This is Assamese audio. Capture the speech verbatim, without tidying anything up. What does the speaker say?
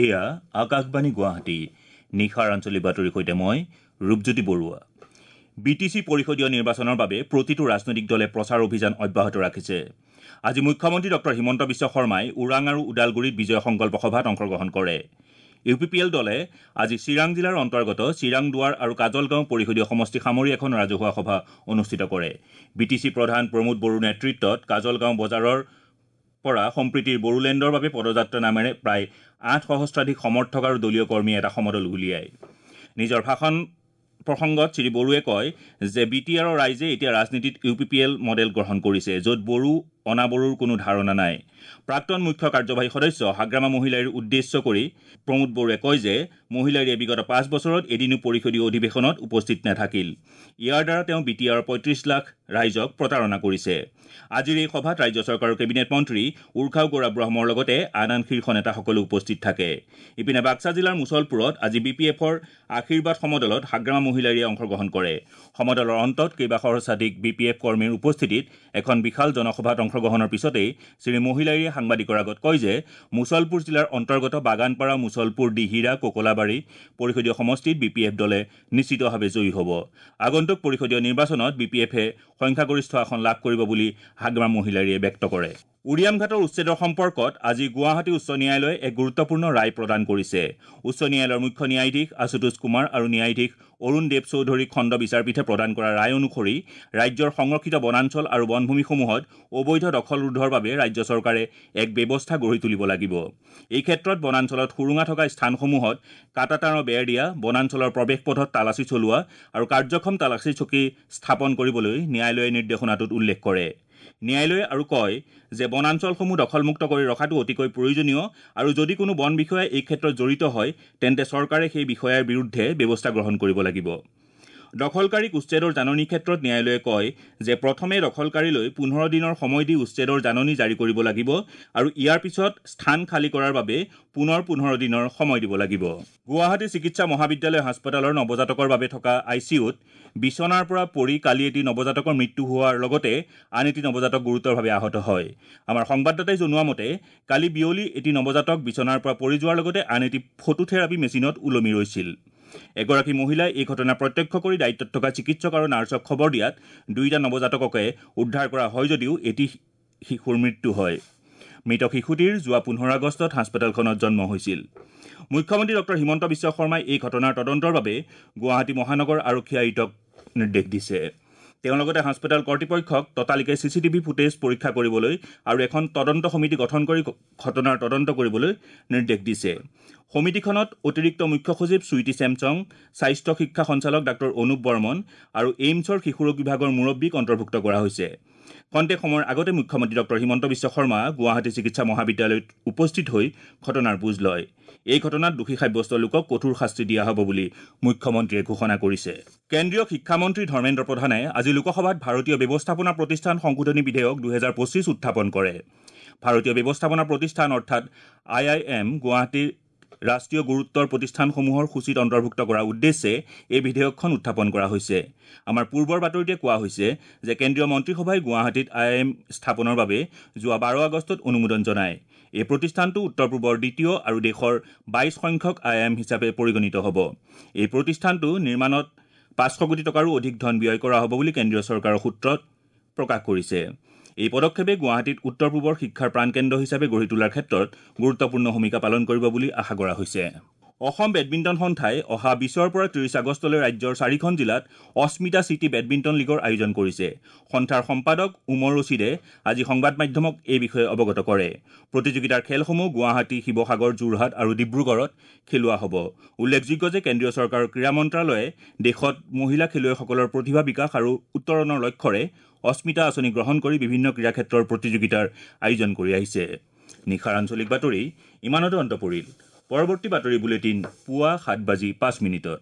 এয়া আকাশবাণী গুৱাহাটী। নিশাৰ আঞ্চলিক বাতৰিৰ সৈতে মই Rupjyoti Barua. B T C পৰিষদীয় নিৰ্বাচনৰ বাবে প্ৰতিটো ৰাজনৈতিক দলে প্ৰচাৰ অভিযান অব্যাহত ৰাখিছে। আজি মুখ্যমন্ত্ৰী ডক্টৰ হিমন্ত বিশ্ব শৰ্মাই ওৰাং আৰু ওদালগুৰিত বিজয় সংকল্প সভাত অংশগ্ৰহণ কৰে। ইউ পি পি এল দলে আজি চিৰাং জিলাৰ অন্তৰ্গত চিৰাং দুৱাৰ আৰু কাজলগাঁও পৰিষদীয় সমষ্টি সামৰি এখন ৰাজহুৱা সভা অনুষ্ঠিত কৰে। বি টি চি প্ৰধান প্ৰমোদ বড়োৰ নেতৃত্বত কাজলগাঁও বজাৰৰ পৰা সম্প্ৰীতিৰ বড়োলেণ্ডৰ বাবে পদযাত্ৰা নামেৰে প্ৰায় আঠ সহস্ৰাধিক সমৰ্থক আৰু দলীয় কৰ্মীয়ে এটা সমদল উলিয়ায়। নিজৰ ভাষণ প্ৰসংগত শ্ৰী বড়োৱে কয় যে বি টি আৰৰ ৰাইজে এতিয়া ৰাজনীতিত U P P L model গ্ৰহণ কৰিছে, য'ত বড়ো অনাবড়োৰ কোনো ধাৰণা নাই। প্ৰাক্তন মুখ্য কাৰ্যবাহী সদস্য হাগ্ৰামা মহিলাৰীৰ উদ্দেশ্য কৰি প্ৰমোদ বড়োৱে কয় যে মহিলাৰীয়ে বিগত পাঁচ বছৰত এদিনো পৰিষদীয় অধিৱেশনত উপস্থিত নাথাকিল। ইয়াৰ দ্বাৰা তেওঁ বি টি আৰৰ পঁয়ত্ৰিছ লাখ ৰাইজক প্ৰতাৰণা কৰিছে। আজিৰ এই সভাত ৰাজ্য চৰকাৰৰ কেবিনেট মন্ত্ৰী উৰ্খাও গৌৰা ব্ৰহ্মৰ লগতে আন আন শীৰ্ষ নেতাসকলো উপস্থিত থাকে। ইপিনে বাক্সা জিলাৰ মুছলপুৰত আজি বি পি এফৰ আশীৰ্বাদ সমদলত হাগ্ৰামা মহিলাৰীয়ে অংশগ্ৰহণ কৰে। সমদলৰ অন্তত কেইবা সহস্ৰাধিক বি পি এফ কৰ্মীৰ উপস্থিতিত এখন বিশাল জনসভাত অংশগ্ৰহণৰ পিছতেই শ্ৰী মহিলাৰীয়ে সাংবাদিকৰ আগত কয় যে মুছলপুৰ জিলাৰ অন্তৰ্গত বাগানপাৰা, মুছলপুৰ, দিহিৰা, কোকলাবাৰী পৰিষদীয় সমষ্টিত বি পি এফ দলে নিশ্চিতভাৱে জয়ী হ'ব। আগন্তুক পৰিষদীয় নিৰ্বাচনত বি পি এফে সংখ্যাগৰিষ্ঠ আসন লাভ কৰিব বুলি হাগ্ৰামা মহিলাৰীয়ে ব্যক্ত কৰে। উৰিয়ামঘাটৰ উচ্ছেদৰ সম্পৰ্কত আজি গুৱাহাটী উচ্চ ন্যায়ালয়ে এক গুৰুত্বপূৰ্ণ ৰায় প্ৰদান কৰিছে। উচ্চ ন্যায়ালয়ৰ মুখ্য ন্যায়াধীশ আশুতোষ কুমাৰ আৰু ন্যায়াধীশ অৰুণ দেৱ চৌধুৰী খণ্ড বিচাৰপীঠে প্ৰদান কৰা ৰায় অনুসৰি ৰাজ্যৰ সংৰক্ষিত বনাঞ্চল আৰু বনভূমিসমূহত অবৈধ দখল ৰোধৰ বাবে ৰাজ্য চৰকাৰে এক ব্যৱস্থা গঢ়ি তুলিব লাগিব। এই ক্ষেত্ৰত বনাঞ্চলত সুৰুঙা থকা স্থানসমূহত কাঁটাতাঁৰৰ বেৰ দিয়া, বনাঞ্চলৰ প্ৰৱেশ পথত তালাচী চলোৱা আৰু কাৰ্যক্ষম তালাচী চকী স্থাপন কৰিবলৈ ন্যায়ালয়ে নিৰ্দেশনাটোত উল্লেখ কৰে। ন্যায়ালয়ে আৰু কয় যে বনাঞ্চলসমূহ দখলমুক্ত কৰি ৰখাটো অতিকৈ প্ৰয়োজনীয় আৰু যদি কোনো বন বিষয়া এই ক্ষেত্ৰত জড়িত হয় তেন্তে চৰকাৰে সেই বিষয়াৰ বিৰুদ্ধে ব্যৱস্থা গ্ৰহণ কৰিব লাগিব। দখলকাৰীক উচ্ছেদৰ জাননীৰ ক্ষেত্ৰত ন্যায়ালয়ে কয় যে প্ৰথমে দখলকাৰীলৈ পোন্ধৰ দিনৰ সময় দি উচ্ছেদৰ জাননী জাৰি কৰিব লাগিব আৰু ইয়াৰ পিছত স্থান খালী কৰাৰ বাবে পুনৰ পোন্ধৰ দিনৰ সময় দিব লাগিব। গুৱাহাটী চিকিৎসা মহাবিদ্যালয় হাস্পতালৰ নৱজাতকৰ বাবে থকা I C ইউত বিচনাৰ পৰা পৰি কালি এটি নৱজাতকৰ মৃত্যু হোৱাৰ লগতে আন এটি নৱজাতক গুৰুতৰভাৱে আহত হয়। আমাৰ সংবাদদাতাই জনোৱা মতে কালি বিয়লি এটি নৱজাতক বিচনাৰ পৰা পৰি যোৱাৰ লগতে আন এটি ফটোথেৰাপি মেচিনত ওলমি ৰৈছিল। এগৰাকী মহিলাই এই ঘটনা প্ৰত্যক্ষ কৰি দায়িত্বত থকা চিকিৎসক আৰু নাৰ্ছক খবৰ দিয়াত দুয়োটা নৱজাতককে উদ্ধাৰ কৰা হয় যদিও এটি শিশুৰ মৃত্যু হয়। মৃত শিশুটিৰ যোৱা পোন্ধৰ আগষ্টত হাস্পতালখনত জন্ম হৈছিল। মুখ্যমন্ত্ৰী ডক্টৰ হিমন্ত বিশ্ব শৰ্মাই এই ঘটনাৰ তদন্তৰ বাবে গুৱাহাটী মহানগৰ আৰক্ষী আয়ুক্তক নিৰ্দেশ দিছে। তেওঁ লগতে হাস্পতাল কৰ্তৃপক্ষক ততালিকে চি চি টিভি ফুটেজ পৰীক্ষা কৰিবলৈ আৰু এখন তদন্ত সমিতি গঠন কৰি ঘটনাৰ তদন্ত কৰিবলৈ নিৰ্দেশ দিছে। সমিতিখনত অতিৰিক্ত মুখ্য সচিব চুইটি চেমচং, স্বাস্থ্য শিক্ষা সঞ্চালক ডাক্তৰ অনুপ বৰ্মন আৰু এইমছৰ শিশুৰোগ বিভাগৰ মুৰব্বীক অন্তৰ্ভুক্ত কৰা হৈছে। খন্তেক সময়ৰ আগতে মুখ্যমন্ত্ৰী ডক্টৰ হিমন্ত বিশ্ব শৰ্মা গুৱাহাটী চিকিৎসা মহাবিদ্যালয়ত উপস্থিত হৈ ঘটনাৰ বুজ লয়। এই ঘটনাত দোষী সাব্যস্ত লোকক কঠোৰ শাস্তি দিয়া হ'ব বুলি মুখ্যমন্ত্ৰীয়ে ঘোষণা কৰিছে। কেন্দ্ৰীয় শিক্ষামন্ত্ৰী ধৰ্মেন্দ্ৰ প্ৰধানে আজি লোকসভাত ভাৰতীয় ব্যৱস্থাপনা প্ৰতিষ্ঠান সংশোধনী বিধেয়ক দুহেজাৰ পঁচিছ উত্থাপন কৰে। ভাৰতীয় ব্যৱস্থাপনা প্ৰতিষ্ঠান অৰ্থাৎ আই I am গুৱাহাটীৰ ৰাষ্ট্ৰীয় গুৰুত্বৰ প্ৰতিষ্ঠানসমূহৰ সূচীত অন্তৰ্ভুক্ত কৰাৰ উদ্দেশ্যে এই বিধেয়কখন উত্থাপন কৰা হৈছে। আমাৰ পূৰ্বৰ বাতৰিতে কোৱা হৈছে যে কেন্দ্ৰীয় মন্ত্ৰীসভাই গুৱাহাটীত আই I am স্থাপনৰ বাবে যোৱা বাৰ আগষ্টত অনুমোদন জনায়। এই প্ৰতিষ্ঠানটো উত্তৰ পূবৰ দ্বিতীয় আৰু দেশৰ বাইছ সংখ্যক আই I am হিচাপে পৰিগণিত হ'ব। এই প্ৰতিষ্ঠানটো নিৰ্মাণত পাঁচশ কোটি টকাৰো অধিক ধন ব্যয় কৰা হ'ব বুলি কেন্দ্ৰীয় চৰকাৰৰ সূত্ৰত প্ৰকাশ কৰিছে। এই পদক্ষেপে গুৱাহাটীত উত্তৰ পূবৰ শিক্ষাৰ প্ৰাণকেন্দ্ৰ হিচাপে গঢ়ি তোলাৰ ক্ষেত্ৰত গুৰুত্বপূৰ্ণ ভূমিকা পালন কৰিব বুলি আশা কৰা হৈছে। অসম বেডমিণ্টন সন্থাই অহা বিছৰ পৰা ত্ৰিছ আগষ্টলৈ ৰাজ্যৰ চাৰিখন জিলাত অস্মিতা চিটি বেডমিণ্টন লীগৰ আয়োজন কৰিছে। সন্থাৰ সম্পাদক উমৰ ৰছিদে আজি সংবাদ মাধ্যমক এই বিষয়ে অৱগত কৰে। প্ৰতিযোগিতাৰ খেলসমূহ গুৱাহাটী, শিৱসাগৰ, যোৰহাট আৰু ডিব্ৰুগড়ত খেলোৱা হ'ব। উল্লেখযোগ্য যে কেন্দ্ৰীয় চৰকাৰৰ ক্ৰীড়া মন্ত্ৰালয়ে দেশত মহিলা খেলুৱৈসকলৰ প্ৰতিভা বিকাশ আৰু উত্তৰণৰ লক্ষ্যৰে অস্মিতা আঁচনি গ্ৰহণ কৰি বিভিন্ন ক্ৰীড়া ক্ষেত্ৰৰ প্ৰতিযোগিতাৰ আয়োজন কৰি আহিছে। নিশাৰ আঞ্চলিক বাতৰি ইমানতে অন্ত পৰিল। পৰৱৰ্তী বাতৰি বুলেটিন পুৱা সাত বাজি পাঁচ মিনিটত।